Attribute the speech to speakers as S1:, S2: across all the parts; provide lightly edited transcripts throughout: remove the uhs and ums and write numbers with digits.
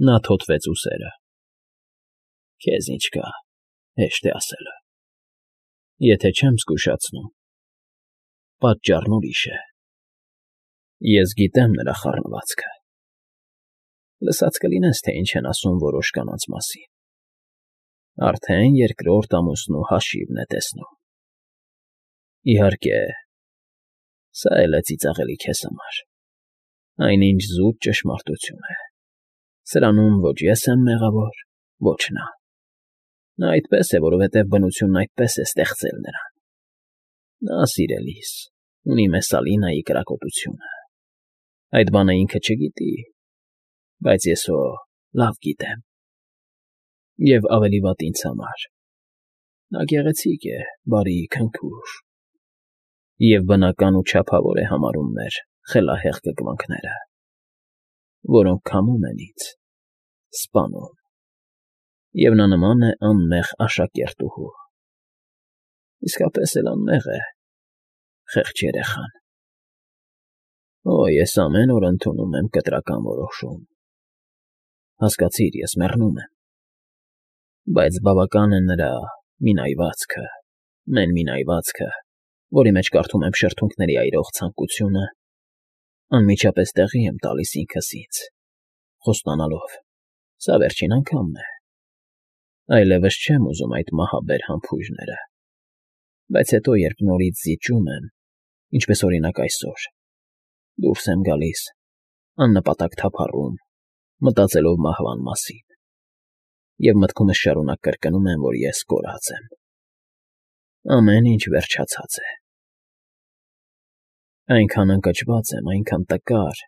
S1: Նա թոթվեց ուսերը։ Քեզ ինչ կա, հեշտ է ասելը։ Եթե չեմ զգուշացնում, պատճառն ուրիշ է։ Ես գիտեմ նրա խառնվածքը։ Լսած կլինես, թե ինչ են ասում որոշ կանանց մասին։ Արդեն երկրորդ ամուսնու հաշիվն է տեսնում։ Իհարկե, սա էլ է ծիծաղելի քեզ համար։ Այնինչ զուտ ճշմարտություն է։ Սրանում ոչ ես եմ մեղավոր, ոչ նա։ Նա այդպես է, որովհետև բնությունն այդպես է ստեղծել նրան։ Նա, սիրելիս, ունի Մեսալինայի կրակոտությունը։ Այդ բանը ինքը չգիտի, բայց ես հո լավ գիտեմ։ Եվ ավելի վատ ինձ համար։ Նա գեղեցիկ է, բարի, քնքուշ։ Եվ բնական ու չափավոր է համարում մեր խելահեղ կկվանքները, որոնք քամում են ինձ, սպանում։ Եվ նա նման է անմեղ աշակերտուհու։ Իսկապես էլ անմեղ է, խեղճ երեխան։ Օ, ես ամեն օր ընդունում եմ կտրական որոշում։ Հասկացիր, ես մեռնում եմ։ Բայց բավական է նրա մինայվածքը, մենմինայվածքը, որի մեջ կարդում եմ շրթունքների այրող ցանկությունը, անմիջապես տեղի եմ տալիս ինքս ինձ, խոստանալով. սա վերջին անգամն է։ Այլևս չեմ ուզում այդ մահաբեր համբույրները։ Բայց հետո, երբ նորից զիջում եմ, ինչպես օրինակ այսօր, դուրս եմ գալիս, աննպատակ թափառում, մտածելով մահվան մասին, և մտքումս շարունակ կրկնում եմ, որ ես կորած եմ։ Ամեն ինչ վերջացած է։ Այնքան ընկճված եմ, այնքան տկար,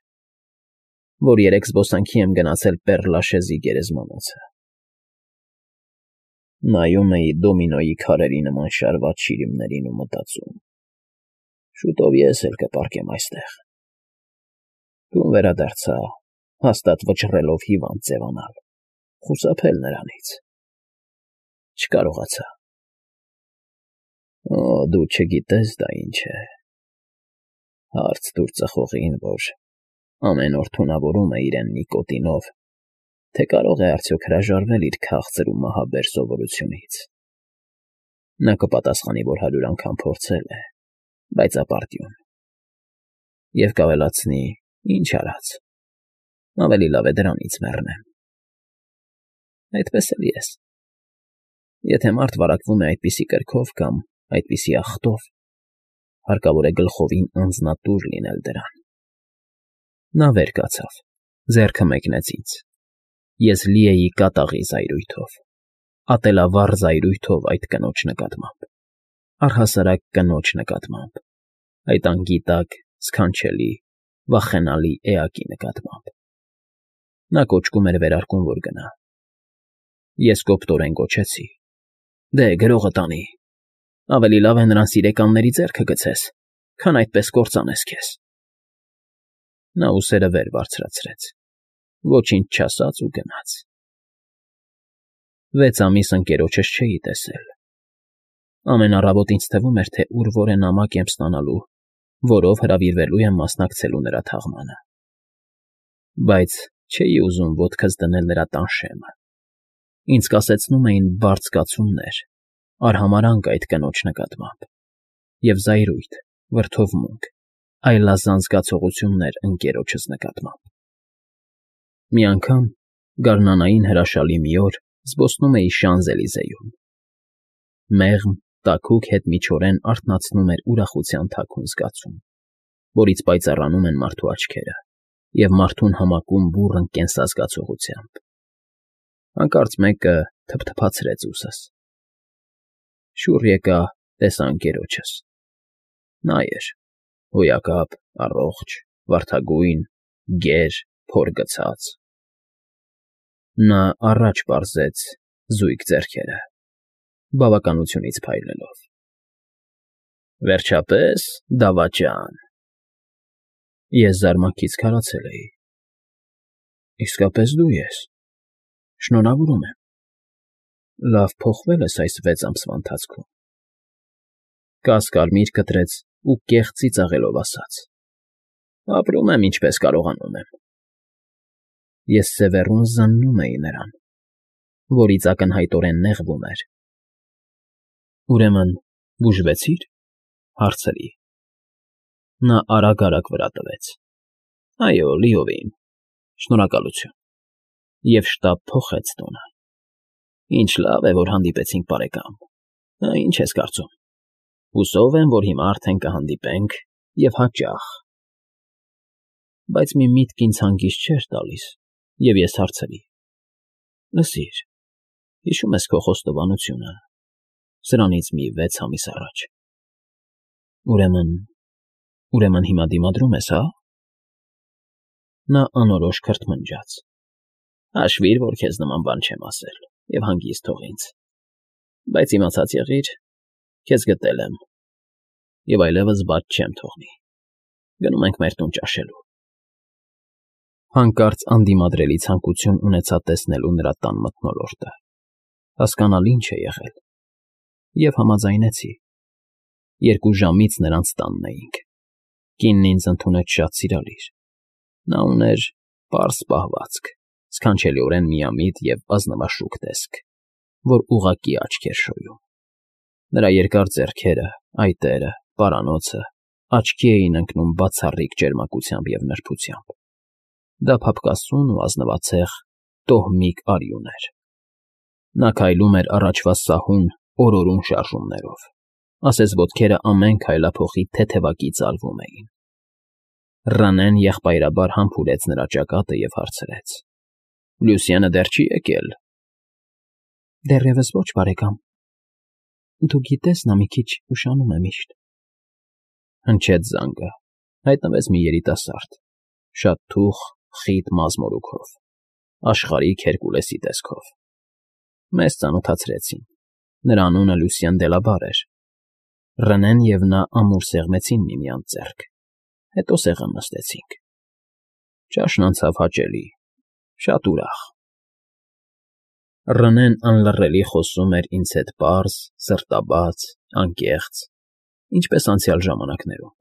S1: որ երեկ զբոսանքի եմ գնացել Պեռ-Լաշեզի գերեզմանոցը։ Նայում էի դոմինոյի քարերի նման շարված շիրիմներին ու մտածում. շուտով ես էլ կպառկեմ այստեղ։ Տուն վերադարձա, հաստատ վճռելով հիվանդ ձևանալ, խուսափել նրանից։ Չկարողացա։ Օ, դու չգիտես դա ինչ է։ Հարց տուր ծխողին, որ ամեն օր թունավորում է իրեն նիկոտինով, թե կարող է արդյոք հրաժարվել իր քաղցր ու մահաբեր սովորությունից։ Նա կպատասխանի, որ 100 անգամ փորձել է, բայց ապարդյուն։ Եվ կավելացնի. ինչ արած, ավելի լավ է դրանից մեռնեմ։ Այդպես էլ ես։ Եթե մարդ վարակվում է այդպիսի կրքով կամ այդպիսի աղտով, հարկավոր է գլխովին անձնատուր լինել դրան։ Նա վեր կացավ, ձեռքը մեկնեց ինձ։ Ես լի էի կատաղի զայրույթով, ատելավառ զայրույթով այդ կնոջ նկատմամբ, առհասարակ կնոջ նկատմամբ, այդ անգիտակ, սքանչելի, վախենալի էակի նկատմամբ։ Նա կոճկում էր վերարկուն, որ գնա։ Ես կոպտորեն գոչեցի. դե, գրողը տանի։ Ավելի լավ է նրան սիրեկանների ձեռքը գցես, քան այդպես կործանես քեզ։ Նա ուսերը վեր բարձրացրեց, ոչինչ չասաց ու գնաց։ 6 ամիս ընկերոջս չէի տեսել։ Ամեն առավոտ ինձ թվում էր, թե ուր-որ է նամակ եմ ստանալու, որով հրավիրվելու եմ մասնակցելու նրա թաղմանը։ Բայց չէի ուզում ոտքս դնել նրա տան շեմը։ Ինձ կասեցնում էին բարդ զգացումներ, արհամարհանք այդ կնոջ նկատմամբ, և զայրույթ, վրդովմունք, այլազան զգացողություններ ընկերոջս նկատմամբ։ Մի անգամ, գարնանային հրաշալի մի օր, զբոսնում էի Շանզելիզեում։ Մեղմ, տաքուկ հետմիջորեն արթնացնում էր ուրախության թաքուն զգացում, որից պայծառանում են մարդու աչքերը, և մարդուն համակում բուռն կենսազգացողությամբ։ Հանկարծ մեկը թփթփացրեց ուսս։ Շուռ եկա, տեսա ընկերոջս։ Նա էր, հոյակապ, առողջ, վարդագույն, գեր, փոր գցած։ Նա առաջ պարզեց զույգ ձեռքերը, բավականությունից փայլելով։ Վերջապես, դավաճան։ Ես զարմանքից քարացել էի։ Իսկապես դու ես։ Շնորհավորում եմ։ Լավ փոխվել ես այս 6 ամսվա ընթացքում։ Կասկարմիր կտրեց ու կեղծ ծիծաղելով ասաց. ապրում եմ, ինչպես կարողանում եմ։ ես սևեռուն զննում էի նրան, որից ակնհայտորեն նեղվում էր։ Ուրեմն բուժվեցի՞ր, հարցրի։ Նա արագ վրա տվեց. Այո, լիովին, շնորհակալություն, և շտապ փոխեց տոնը։ Ինչ լավ է, որ հանդիպեցինք, բարեկամ, ինչ ես կարծում։ Հուսով եմ, որ հիմա արդեն կհանդիպենք և հաճախ։ Բայց մի միտք ինձ հանգիստ չէր տալիս, և ես հարցրի. Լսիր, հիշում ես քո խոստովանությունը, սրանից մի 6 ամիս առաջ։ Ուրեմն հիմա դիմադրում ես, հա։ Նա անորոշ քրթմնջաց։ Հաշվիր, որ քեզ նման բան չեմ ասել, և հանգիստ թող ինձ։ Բայց իմացած եղիր, քեզ գտել եմ, և այլևս բաց չեմ թողնի։ Գնում ենք մեր տուն ճաշելու։ Հանկարծ անդիմադրելի ցանկություն ունեցա տեսնելու նրա տան մթնոլորտը, հասկանալ ինչ է եղել, և համաձայնեցի։ 2 ժամից նրանց տանն էինք։ Կինն ինձ ընդունեց շատ սիրալիր։ Նա ուներ պարզ պահվածք, սքանչելիորեն միամիտ և ազնվաշուք տեսք, որ ուղղակի աչք էր շոյում։ Նրա երկար ձեռքերը, այտերը, պարանոցը աչքի էին ընկնում բացառիկ ջերմակությամբ և նրբությամբ։ Դա փափկասուն ու ազնվացեղ տոհմիկ արյուն էր։ Նա քայլում էր առաջվա սահուն, օրորուն շարժումներով, ասես ոտքերը ամեն քայլափոխի թեթևակի ծալվում էին։ Ռանեն եղբայրաբար համբուրեց նրա ճակատը և հարցրեց. Լյուսիանը դեռ չի եկել։ Դեռևս ոչ, բարեկամ։ Դու գիտես, նա մի քիչ ուշանում է միշտ։ Հնչեց զանգը, հայտնվեց մի երիտասարդ, շատ թուխ, խիտ մազմորուքով, աշխարհիկ Հերկուլեսի տեսքով։ Մեզ ծանոթացրեցին։ Նրա անունը Լուսիան Դելաբար էր։ Ռենեն և նա ամուր սեղմեցին միմյանց ձեռք, հետո սեղան նստեցինք։ Ճաշն անցավ հաճելի, շատ ուրախ։ Ռենեն անլռելի խոսում էր ինձ հետ պարզ, սրտաբաց, անկեղծ, ինչպես անցյալ ժամանակներում։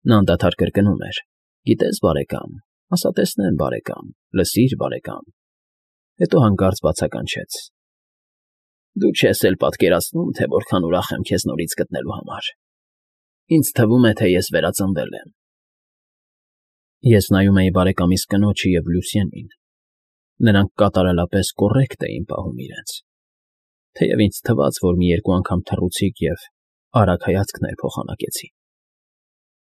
S1: Նա անդադար կրկնում էր. Գիտես, բարեկամ, ասա տեսնեմ, բարեկամ, լսիր, բարեկամ։ Հետո հանկարծ բացականչեց. Դու չես էլ պատկերացնում, թե որքան ուրախ եմ քեզ նորից գտնելու համար։ Ինձ թվում է, թե ես վերածնվել եմ։ Ես նայում էի բարեկամիս կնոջը և Լուսիանին։ Նրանք կատարելապես կոռեկտ էին պահում իրենց։ Թեև ինձ թվաց, որ մի 2 անգամ թռուցիկ և արագ հայացքներ փոխանակեցի։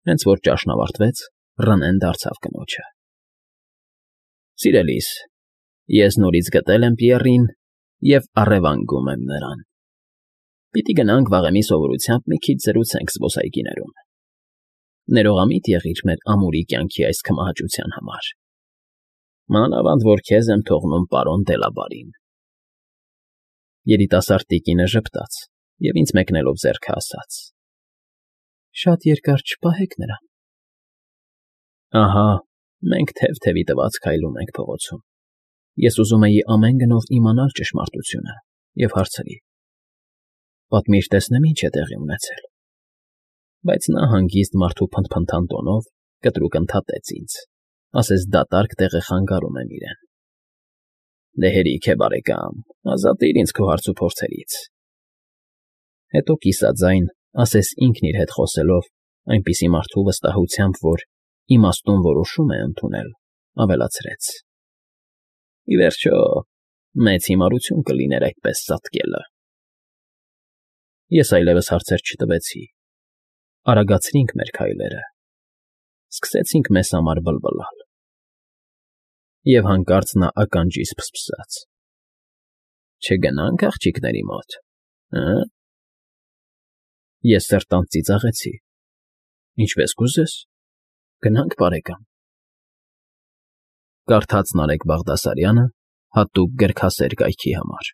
S1: Հենց որ ճաշն ավարտվեց, Ռենեն դարձավ կնոջը. Սիրելիս, ես նորից գտել եմ Պիեռին և առևանգում եմ նրան։ Պիտի գնանք վաղեմի սովորությամբ մի քիչ զրուցենք զբոսայգիներում։ Ներողամիտ եղիր մեր ամուրի կյանքի այս քմահաճության համար։ Մանավանդ որ քեզ եմ թողնում պարոն Դելաբարին։ Երիտասարդ տիկինը ժպտաց և ինձ մեկնելով ձեռքը ասաց. Շատ երկար չպահեք նրան։ Ահա, մենք թև֊թևի տված քայլում ենք փողոցում։ Ես ուզում էի ամեն գնով իմանալ ճշմարտությունը և հարցրի. Պատմիր, տեսնեմ ինչ է տեղի ունեցել։ Բայց նա հանգիստ մարդու փնթփնթան տոնով կտրուկ ընդհատեց ինձ, ասես դատարկ տեղեխանգարում եմ իրեն։ Դե հերիք է, բարեկամ, ազատիր ինձ քո հարցուփորձերից։ Հետո կիսաձայն, ասես ինքն իր հետ խոսելով, այնպիսի մարդու վստահությամբ, որ իմաստուն որոշում է ընդունել, ավելացրեց. Ի վերջո, մեծ հիմարություն կլիներ այդպես ծածկելը։ Ես այլևս հարցեր չտվեցի։ Արագացրինք մեր քայլերը։ Սկսեցինք մեզ համար բլբլալ։ Եվ հանկարծ նա ականջիս ֆսֆսաց. Չգնա՞նք աղջիկների մոտ, հը՞։ Ես սրտանց ծիծաղեցի։ Ինչպես կուզես, գնանք, բարեկամ։ Կարդաց Նարեկ Բաղդասարյանը հատուկ գրքասեր կայքի համար։